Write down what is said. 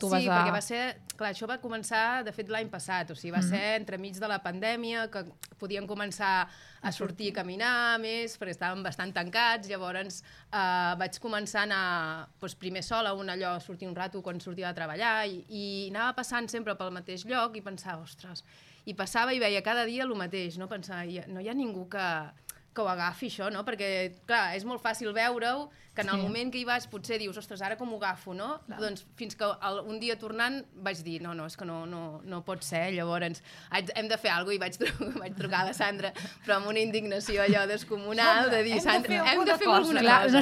Sí, perquè va ser... Clar, això va començar, de fet, l'any passat. O sigui, va ser entremig de la pandèmia, que podien començar a sortir i caminar més, perquè estàvem bastant tancats. Llavors vaig començar a anar primer sola, allò, sortir un rato quan sortia de treballar, i anava passant sempre pel mateix lloc i pensava, ostres... I passava i veia cada dia el mateix, no? Pensava, no hi ha ningú que ho agafi, això, no? Perquè, clar, és molt fàcil veure-ho, que en el moment que hi vas potser dius, ostres, ara com ho agafo, no? Doncs fins que un dia tornant vaig dir, no, és que no pot ser, llavors hem de fer alguna cosa, i vaig trucar a la Sandra, però amb una indignació allò descomunal, de dir, Sandra, hem de fer alguna cosa.